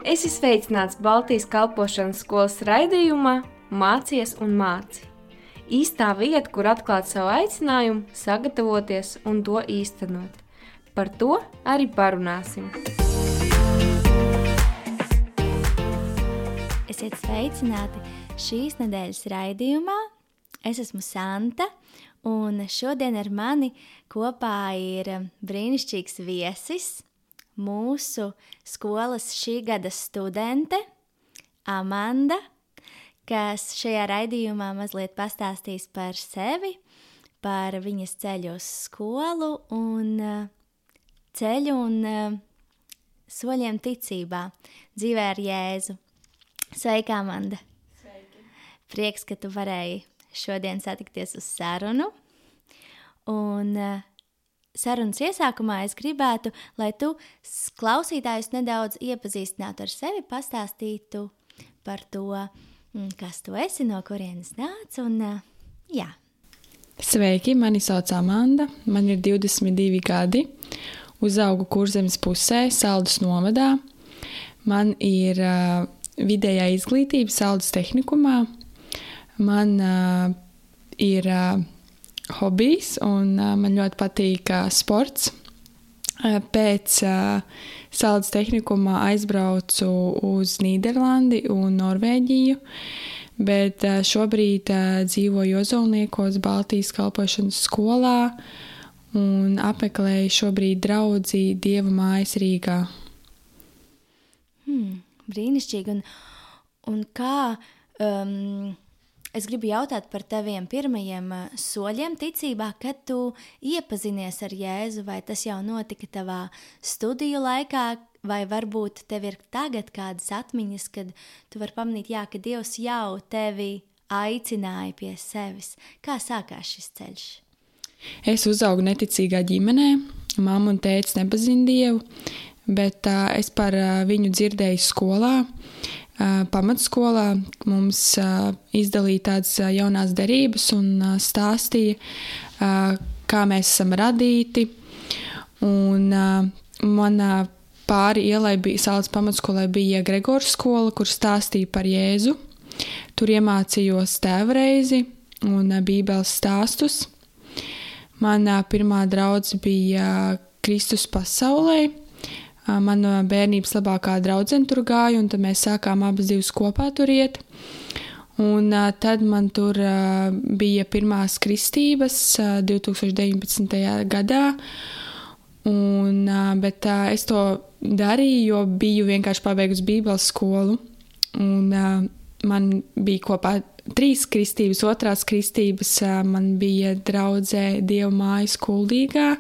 Esi sveicināts Baltijas kalpošanas skolas raidījumā Mācies un māci. Īstā vieta, kur atklāt savu aicinājumu, sagatavoties un to īstenot. Par to arī parunāsim. Esiet sveicināti šīs nedēļas raidījumā. Es esmu Santa, un šodien ar mani kopā ir brīnišķīgs viesis, mūsu skolas šī gada studente Amanda, kas šajā raidījumā mazliet pastāstīs par sevi, par viņas ceļu uz skolu un ceļu un soļiem ticībā, dzīvē ar Jēzu. Sveika, Amanda! Sveiki! Prieks, ka tu varēji šodien satikties uz sarunu. Un sarunas iesākumā es gribētu, lai tu klausītājus nedaudz iepazīstinātu ar sevi, pastāstītu par to, kas tu esi, no kurienes nāc, un jā. Sveiki, mani sauc Amanda, man ir 22 gadi, uzaugu Kurzemes pusē, Saldus novadā. Man ir vidējā izglītība Saldus tehnikumā, man ir hobijs un man ļoti patīk sports. Pēc Saldus tehnikumā aizbraucu uz Nīderlandi un Norvēģiju, bet šobrīd dzīvoju Ozolniekos Baltijas kalpošanas skolā un apmeklēju šobrīd draudzi Dieva mājas Rīgā. Brīnišķīgi. Un kā, es gribu jautāt par taviem pirmajiem soļiem ticībā, kad tu iepazinies ar Jēzu, vai tas jau notika tavā studiju laikā, vai varbūt tev ir tagad kādas atmiņas, kad tu vari pamanīt, ka Dievs jau tevi aicināja pie sevis. Kā sākās šis ceļš? Es uzaugu neticīgā ģimenē, mamma un tētis nepazina Dievu, bet es par viņu dzirdēju skolā, pamatskolā. Mums izdalīja tādas jaunās derības un stāstīja, kā mēs esam radīti. Un manā pāri ielai Saldus pamatskolai bija Gregors skola, kur stāstīja par Jēzu. Tur iemācījos tēvreizi un bībeles stāstus. Manā pirmā draudze bija Kristus pasaulē. Mana bērnības labākā draudzene tur gāja, un tad mēs sākām abas divas kopā tur iet. Un tad man tur bija pirmās kristības 2019. gadā, bet es to darīju, jo biju vienkārši pabeigusi bībeles skolu. Un man bija kopā 3 kristības, otrās kristības man bija draudzē Dieva mājas Kuldīgā.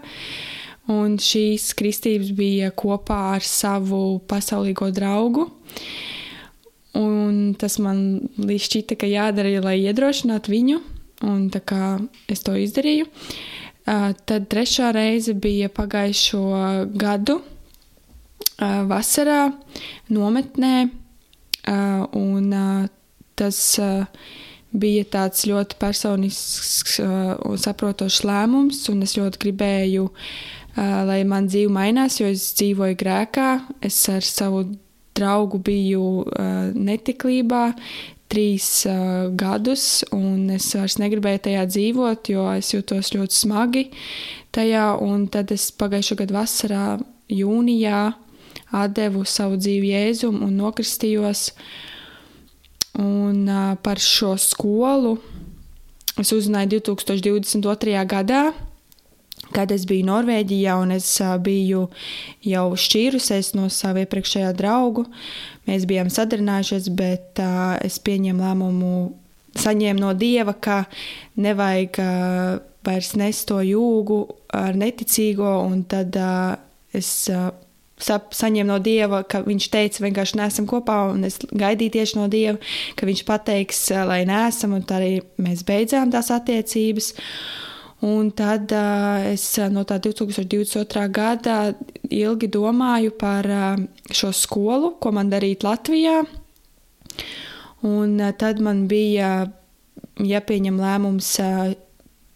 Un šīs kristības bija kopā ar savu pasaulīgo draugu. Un tas man šķita, ka jādara, lai iedrošinātu viņu. Un tā kā es to izdarīju. Tad 3. reize bija pagājušo gadu vasarā nometnē. Un tas bija tāds ļoti personisks un saprotošs lēmums. Un es ļoti gribēju, lai man dzīve mainās, jo es dzīvoju grēkā. Es ar savu draugu biju netiklībā 3 gadus, un es vairs negribēju tajā dzīvot, jo es jūtos ļoti smagi tajā. Un tad es pagājušo gadu vasarā, jūnijā, atdevu savu dzīvi Jēzum un nokristījos. Un par šo skolu es uzzināju 2022. gadā, kad es biju Norvēģijā un es biju jau šķīrusies no savu iepriekšējā draugu. Mēs bijām sadarinājušies, bet es pieņēmu lēmumu, saņēmu no Dieva, ka nevajag vairs nest to jūgu ar neticīgo, un tad es saņēmu no Dieva, ka viņš teica, vienkārši neesam kopā, un es gaidīju tieši no Dieva, ka viņš pateiks, lai neesam, un tā arī mēs beidzām tās attiecības. Un tad es no tā 2022. gada ilgi domāju par šo skolu, ko man darīt Latvijā. Un tad man bija jāpieņem lēmums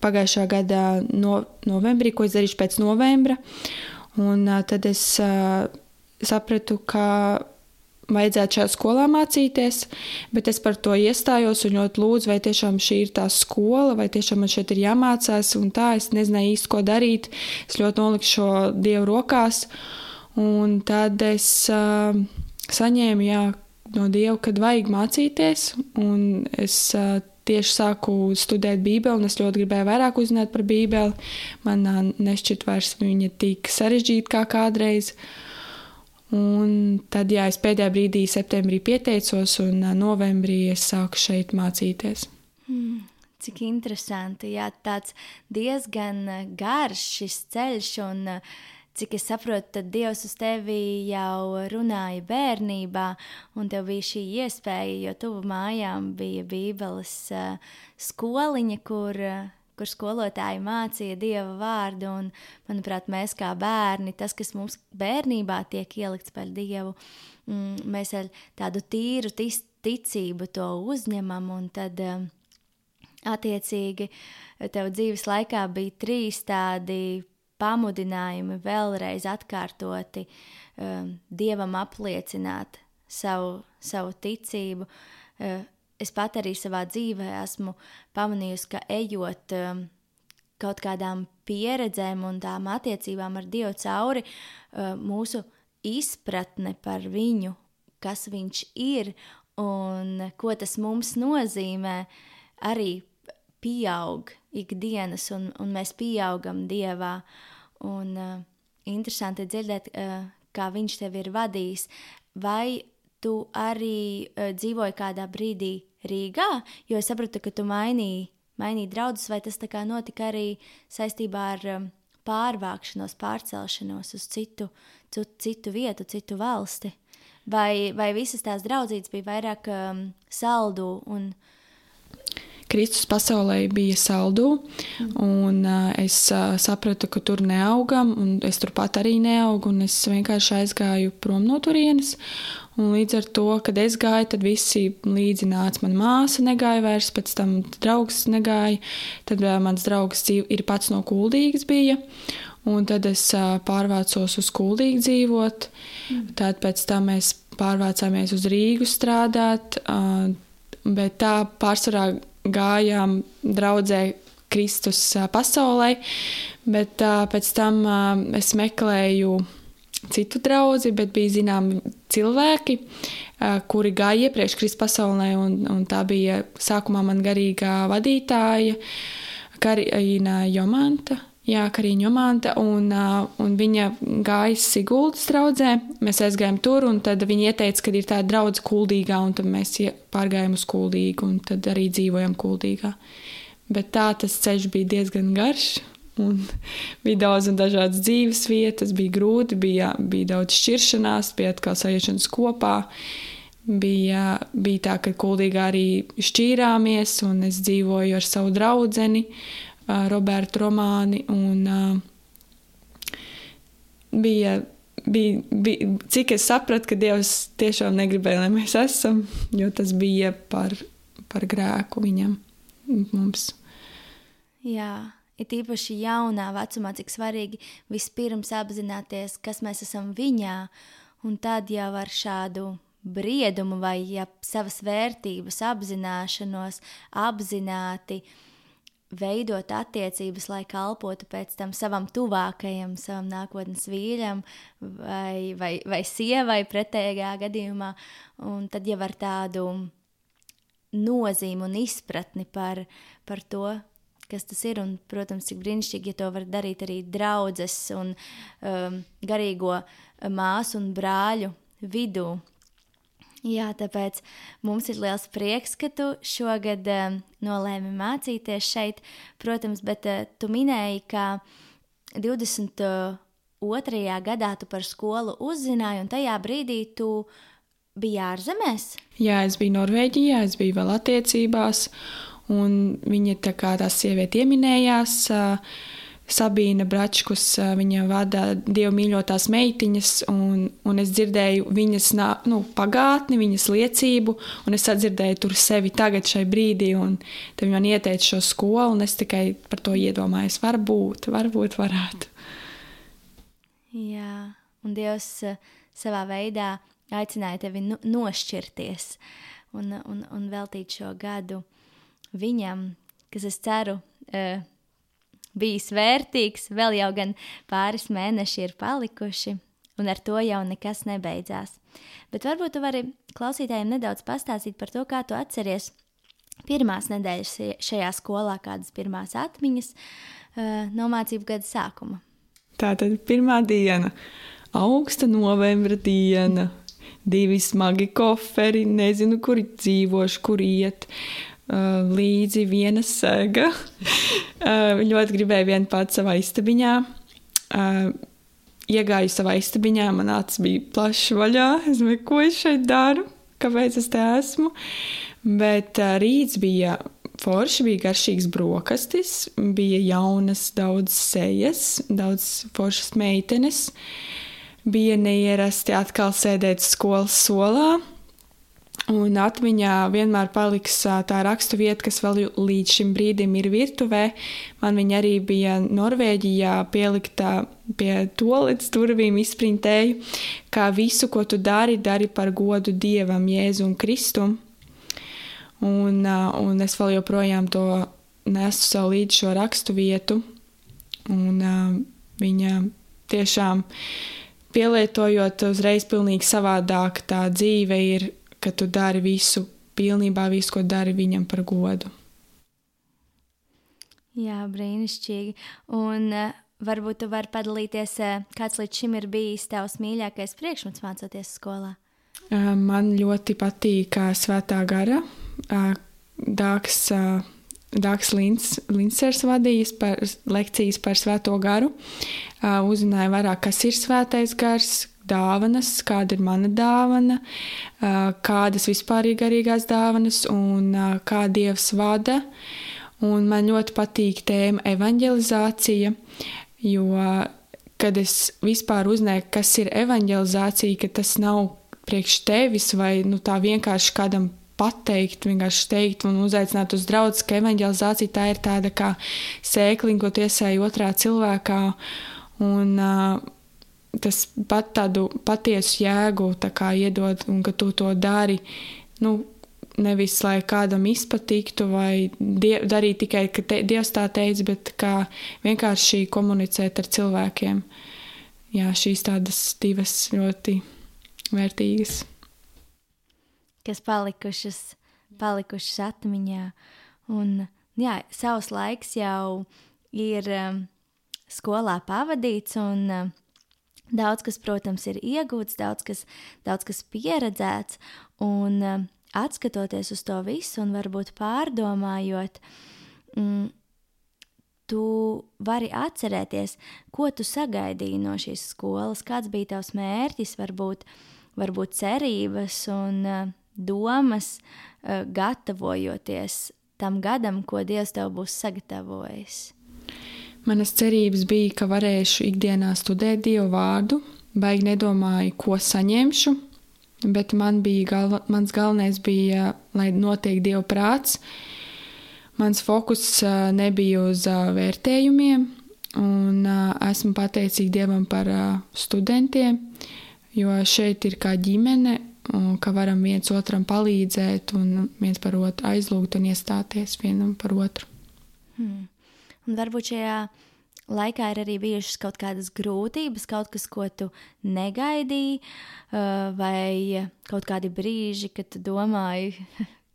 pagājušā gada novembrī, ko es darīšu pēc novembra. Un tad es sapratu, ka vajadzētu šajā skolā mācīties, bet es par to iestājos un ļoti lūdzu, vai tiešām šī ir tā skola, vai tiešām man šeit ir jāmācās, un tā es nezināju īsti, ko darīt. Es ļoti noliku šo Dievu rokās, un tad es saņēmu, no Dieva, kad vajag mācīties, un es tieši sāku studēt Bībeli, un es ļoti gribēju vairāk uzzināt par Bībeli. Man nešķiet vairs viņa tik sarežģīta kā kādreiz. Un tad, es pēdējā brīdī septembrī pieteicos, un novembrī es sāku šeit mācīties. Cik interesanti, tāds diezgan garš šis ceļš, un cik es saprotu, tad Dievs uz tevi jau runāja bērnībā, un tev bija šī iespēja, jo tuvu mājām bija Bībeles skoliņa, kur skolotāji mācīja Dieva vārdu, un, manuprāt, mēs kā bērni, tas, kas mums bērnībā tiek ielikts par Dievu, mēs ar tādu tīru ticību to uzņemam, un tad attiecīgi tev dzīves laikā bija 3 tādi pamudinājumi vēlreiz atkārtoti Dievam apliecināt savu ticību. Es pat arī savā dzīvē esmu pamanījusi, ka ejot kaut kādām pieredzēm un tām attiecībām ar Dievu cauri, mūsu izpratne par viņu, kas viņš ir un ko tas mums nozīmē, arī pieaug ikdienas, un mēs pieaugam Dievā. Un interesanti dzirdēt, kā viņš tevi ir vadījis. Vai tu arī dzīvoji kādā brīdī Rīgā? Jo es sapratu, ka tu mainīji draudzes, vai tas tā kā notika arī saistībā ar pārvākšanos, pārcelšanos uz citu vietu, citu valsti? Vai visas tās draudzītes bija vairāk Saldū un Kristus pasaulē bija Saldū, un es sapratu, ka tur neaugam, un es turpat arī neaugu, un es vienkārši aizgāju prom no turienes. Un līdz ar to, kad es gāju, tad visi līdzi nāca. Man māsa negāja vairs, pēc tam draugs negāja, tad mans draugs ir pats no Kuldīgas bija, un tad es pārvācos uz Kuldīgu dzīvot. Tad pēc tam mēs pārvācāmies uz Rīgu strādāt, bet tā pārsvarā gājām draudzē Kristus pasaulē, bet pēc tam es meklēju citu draudzi, bet bija zināmi cilvēki, kuri gāja iepriekš Kristus pasaulē, un tā bija sākumā man garīgā vadītāja Karina Jomanta, un viņa gāja Siguldas draudzē. Mēs aizgājām tur, un tad viņa ieteica, ka ir tāda draudze Kuldīgā, un tad mēs pārgājām uz Kuldīgu, un tad arī dzīvojam Kuldīgā. Bet tā tas ceļš bija diezgan garš, un bija daudz un dažādas dzīves vietas, bija grūti, bija daudz šķiršanās, bija atkal sajiešanas kopā. Bija tā, ka Kuldīgā arī šķīrāmies, un es dzīvoju ar savu draudzeni, Robertu Romāni, un bija, cik es sapratu, ka Dievs tiešām negribēja, lai mēs esam, jo tas bija par grēku viņam, mums. Jā, ir īpaši jaunā vecumā, cik svarīgi vispirms apzināties, kas mēs esam viņā, un tad jau ar šādu briedumu vai savas vērtības apzināšanos, apzināti veidot attiecības, lai kalpotu pēc tam savam tuvākajam, savam nākotnes vīļam vai sievai pretējā gadījumā, un tad jau ar tādu nozīmi un izpratni par to, kas tas ir, un, protams, cik brīnišķīgi, ja to var darīt arī draudzes un garīgo māsu un brāļu vidū. Jā, tāpēc mums ir liels prieks, ka tu šogad nolēmi mācīties šeit, protams, bet tu minēji, ka 22. gadā tu par skolu uzzināji, un tajā brīdī tu biji ārzemēs? Jā, es biju Norvēģijā, es biju vēl attiecībās, un viņa tā sieviete ieminējās, Sabīna Bračkus, viņa vada Dievu mīļotās meitiņas, un es dzirdēju viņas pagātni, viņas liecību, un es sadzirdēju tur sevi tagad šai brīdī, un tad viņa man ieteica šo skolu, un es tikai par to iedomājos, varbūt varētu. Jā, un Dievs savā veidā aicināju tevi nošķirties un veltīt šo gadu viņam, kas es ceru bijis vērtīgs, vēl jau gan pāris mēneši ir palikuši, un ar to jau nekas nebeidzās. Bet varbūt tu vari klausītājiem nedaudz pastāstīt par to, kā tu atceries pirmās nedēļas šajā skolā, kādas pirmās atmiņas no mācību gada sākuma. Tātad pirmā diena, augsta novembra diena, 2 smagi koferi, nezinu, kur dzīvošu, kur iet, līdzi viena sega. Ļoti gribēju vien pats savā istabiņā. Iegāju savā istabiņā, man acis bija plašs vaļā. Es domāju, ko es šeit daru, kāpēc es te esmu. Bet rīts bija forši, bija garšīgs brokastis, bija jaunas daudz sejas, daudz foršas meitenes. Bija neierasti atkal sēdēt skolas solā. Un atmiņā vienmēr paliks tā rakstu vieta, kas vēl līdz šim brīdim ir virtuvē. Man viņa arī bija Norvēģijā pieliktā pie toaletes durvīm, izprintēju, kā visu, ko tu dari par godu Dievam, Jēzum Kristum. Un es vēl joprojām to nesu sev līdz šo rakstu vietu. Un viņa tiešām pielietojot uzreiz pilnīgi savādāk, tā dzīve ir, ka tu dari visu, pilnībā visu, ko dari viņam par godu. Jā, brīnišķīgi. Un varbūt tu vari padalīties, kāds līdz šim ir bijis tavs mīļākais priekšmets mācoties skolā? Man ļoti patīk Svētā gara. Dāks Lincers vadījis par lekcijas par Svēto garu. Uzzināja vairāk, kas ir Svētais gars, dāvanas, kāda ir mana dāvana, kādas vispār ir garīgās dāvanas un kā Dievs vada. Un man ļoti patīk tēma evanģelizācija, jo, kad es vispār uzzināju, kas ir evanģelizācija, ka tas nav priekš tevis vai tā vienkārši kādam pateikt, vienkārši teikt un uzaicināt uz draudzes, ka evanģelizācija tā ir tāda kā sēkliņa, ko tu iesēji otrā cilvēkā, un tas pat tādu patiesu jēgu tā kā iedod, un ka tu to dari, nevis lai kādam izpatiktu vai darīt tikai, ka Dievs tā teica, bet kā vienkārši komunicēt ar cilvēkiem. Jā, šīs tādas divas ļoti vērtīgas. Kas palikušas atmiņā. Un, jā, savs laiks jau ir skolā pavadīts, un daudz kas, protams, ir iegūts, daudz kas pieredzēts, un atskatoties uz to visu un varbūt pārdomājot, tu vari atcerēties, ko tu sagaidīji no šīs skolas, kāds bija tavs mērķis, varbūt cerības un domas, gatavojoties tam gadam, ko Dievs tev būs sagatavojis. Manas cerības bija, ka varēšu ikdienā studēt Dievu vārdu, baigi nedomāju, ko saņemšu, bet mans galvenais bija, lai notiek Dieva prāts. Mans fokus nebija uz vērtējumiem, un esmu pateicīga Dievam par studentiem, jo šeit ir kā ģimene, un ka varam viens otram palīdzēt un viens par otru aizlūgt un iestāties vienam par otru. Un varbūt šajā laikā ir arī bijušas kaut kādas grūtības, kaut kas, ko tu negaidīji, vai kaut kādi brīži, kad tu domāji,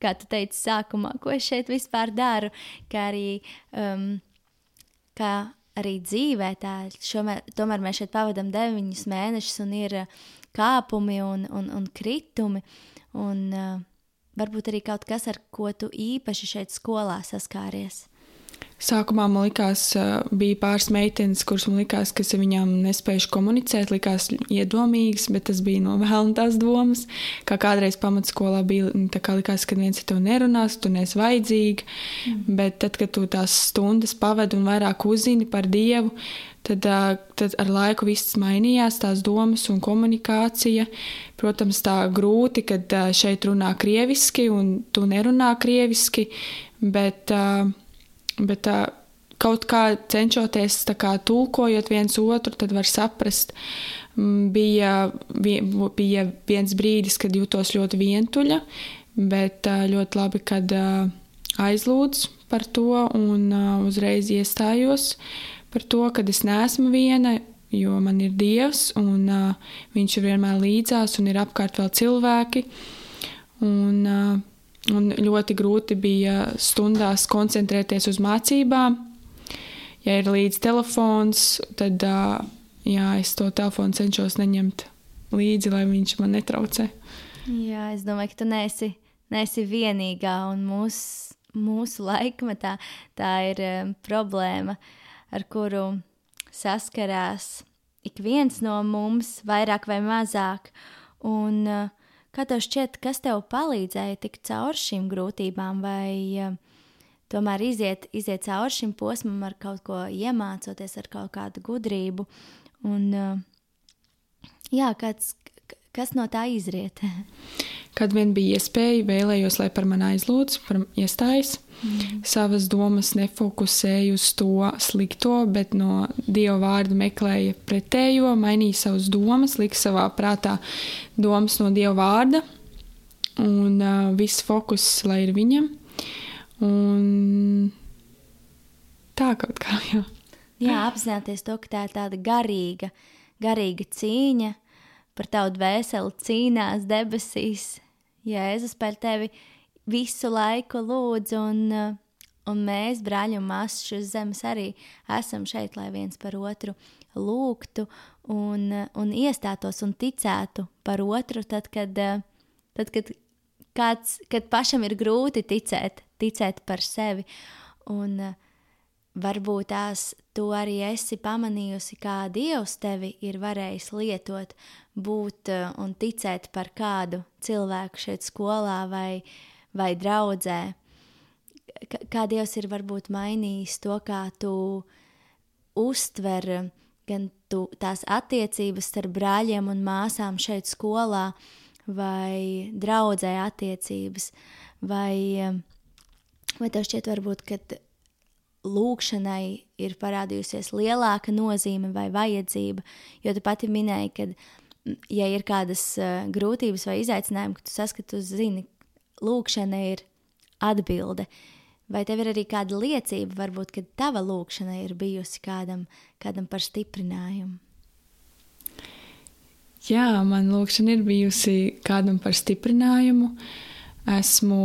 kā tu teici sākumā, ko es šeit vispār daru, kā arī dzīvē tā. Tomēr mēs šeit pavadam 9 mēnešus un ir kāpumi un kritumi, un varbūt arī kaut kas, ar ko tu īpaši šeit skolā saskāries. Sākumā man likās, bija pāris meitenes, kuras man likās, ka es viņām nespējuši komunicēt, likās iedomīgas, bet tas bija no vēlna tās domas. Kā kādreiz pamatskolā bija, tā kā likās, ka viens ar to nerunās, tu neesi vajadzīga, bet tad, kad tu tās stundas pavedi un vairāk uzzini par Dievu, tad ar laiku viss mainījās, tās domas un komunikācija. Protams, tā grūti, kad šeit runā krieviski un tu nerunā krieviski, bet kaut kā cenšoties tā kā tulkojot viens otru, tad var saprast. Bija viens brīdis, kad jutos ļoti vientuļa, bet ļoti labi, kad aizlūdz par to un uzreiz iestājos par to, kad es neesmu viena, jo man ir Dievs un viņš ir vienmēr līdzās un ir apkārt vēl cilvēki. Un ļoti grūti bija stundās koncentrēties uz mācībām. Ja ir līdz telefons, tad es to telefonu cenšos neņemt līdzi, lai viņš man netraucē. Jā, es domāju, ka tu neesi vienīgā, un mūsu laikmetā tā ir problēma, ar kuru saskarās ik viens no mums, vairāk vai mazāk. Un kā tev šķiet, kas tev palīdzēja tikt cauri šīm grūtībām, vai tomēr iziet cauri šim posmam ar kaut ko iemācoties, ar kaut kādu gudrību? Un kas no tā izriet? Kad vien bija iespēja, vēlējos, lai par mani aizlūdz, par iestājas. Savas domas nefokusēju uz to slikto, bet no Dieva vārda meklēja pretējo, mainīja savas domas, lika savā prātā domas no Dieva vārda, un viss fokus, lai ir viņam. Un tā kaut kā, jā. Jā, apzināties to, ka tā ir tāda garīga cīņa, par tavu dvēseli cīnās debesīs. Jēzus par tevi visu laiku lūdz, un mēs, brāļi un māsas, šīs zemes arī esam šeit, lai viens par otru lūgtu un iestātos un ticētu par otru, tad kad pašam ir grūti ticēt par sevi. Un varbūt tu arī esi pamanījusi, kā Dievs tevi ir varējis lietot, būt un ticēt par kādu cilvēku šeit skolā vai draudzē. Kā Dievs ir varbūt mainījis to, kā tu uztver gan tās attiecības starp brāļiem un māsām šeit skolā, vai draudzē attiecības, vai tev šķiet varbūt, ka lūkšanai ir parādījusies lielāka nozīme vai vajadzība, jo tu pati minēji, ka, ja ir kādas grūtības vai izaicinājumi, ka tu saskati, tu zini, lūkšana ir atbilde. Vai tev ir arī kāda liecība, varbūt, ka tava lūkšana ir bijusi kādam par stiprinājumu? Jā, man lūkšana ir bijusi kādam par stiprinājumu. Esmu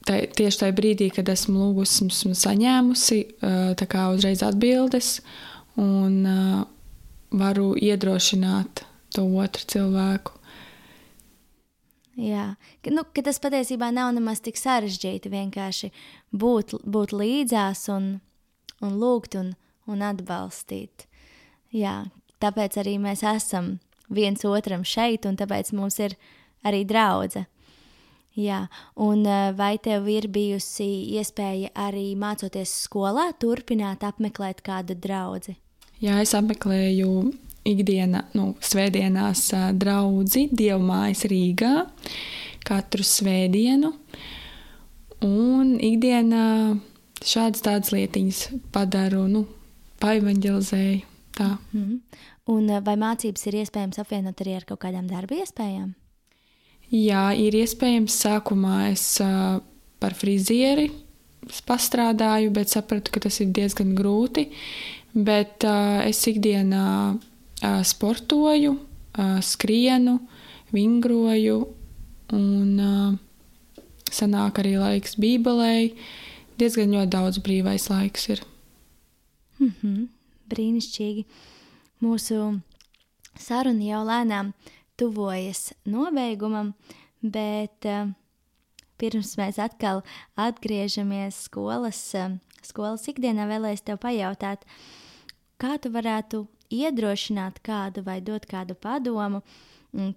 tieši tajā brīdī, kad esmu lūgusi, esmu saņēmusi tā kā uzreiz atbildes un varu iedrošināt to otru cilvēku. Jā, ka tas patiesībā nav nemaz tik sarežģīti vienkārši būt līdzās un lūgt un atbalstīt. Jā, tāpēc arī mēs esam viens otram šeit, un tāpēc mums ir arī draudze. Jā, un vai tev ir bijusi iespēja arī mācoties skolā turpināt apmeklēt kādu draudzi? Jā, es apmeklēju svētdienās draudzi Dievmājas Rīgā katru svētdienu, un ikdienā šādas tādas lietiņas padaru, paevanģelizēju. Tā. Un vai mācības ir iespējams apvienot arī ar kaut kādām darba iespējām? Jā, ir iespējams. Sākumā es par frizieri pastrādāju, bet sapratu, ka tas ir diezgan grūti. Bet es ikdienā sportoju, skrienu, vingroju un sanāk arī laiks bībelei. Diezgan ļoti daudz brīvais laiks ir. Brīnišķīgi. Mūsu saruna jau lēnām tuvojas nobeigumam, bet pirms mēs atkal atgriežamies skolas ikdienā, vēlēs tev pajautāt, kā tu varētu iedrošināt kādu vai dot kādu padomu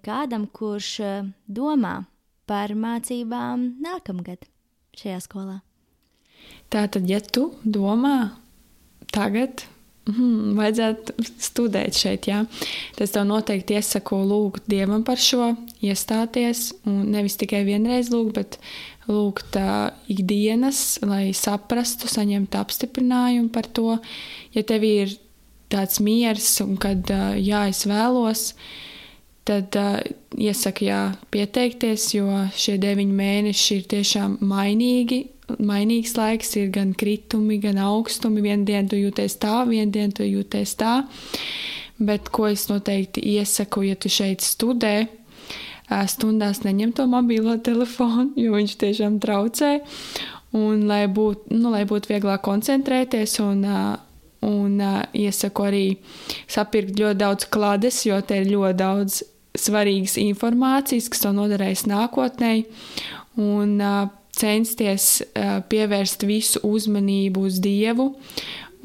kādam, kurš domā par mācībām nākamgad šajā skolā? Tātad, ja tu domā tagad, vajadzētu studēt šeit, jā. Tas tev noteikti iesaku lūgt Dievam par šo, iestāties, un nevis tikai vienreiz lūgt, bet lūgt ikdienas, lai saprastu, saņemtu apstiprinājumu par to. Ja tev ir tāds miers un kad es vēlos, tad iesaku pieteikties, jo šie 9 mēneši ir tiešām mainīgs laiks, ir gan kritumi, gan augstumi. Vienu dienu tu jūties tā, vienu dienu tu jūties tā. Bet ko es noteikti iesaku, ja tu šeit studē, stundās neņem to mobilo telefonu, jo viņš tiešām traucē. Un lai būtu vieglāk koncentrēties un iesaku arī sapirkt ļoti daudz klades, jo te ir ļoti daudz svarīgas informācijas, kas to noderēs nākotnē. Un censties pievērst visu uzmanību uz Dievu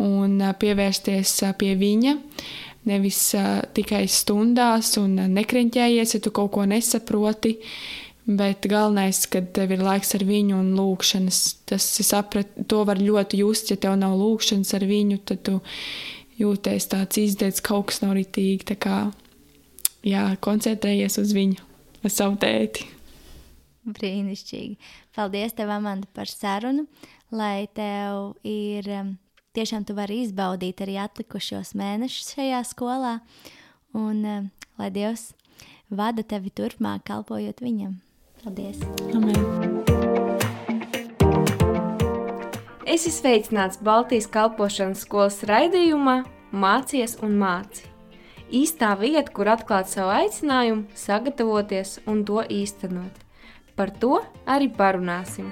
un pievērsties pie viņa. Nevis tikai stundās un nekreņķējies, ja tu kaut ko nesaproti, bet galvenais, kad tev ir laiks ar viņu un lūkšanas. To var ļoti just, ja tev nav lūkšanas ar viņu, tad tu jūties tāds izdēts, kaut kas nav ritīgi. Tā kā, koncentrējies uz viņu, uz savu tēti. Brīnišķīgi. Paldies tev, Amanda, par sarunu, lai tev ir... Tiešām tu vari izbaudīt arī atlikušos mēnešus šajā skolā, un lai Dievs vada tevi turpmāk, kalpojot viņam. Paldies! Amen! Esi sveicināts Baltijas kalpošanas skolas raidījumā Mācies un māci. Īstā vieta, kur atklāt savu aicinājumu, sagatavoties un to īstenot. Par to arī parunāsim.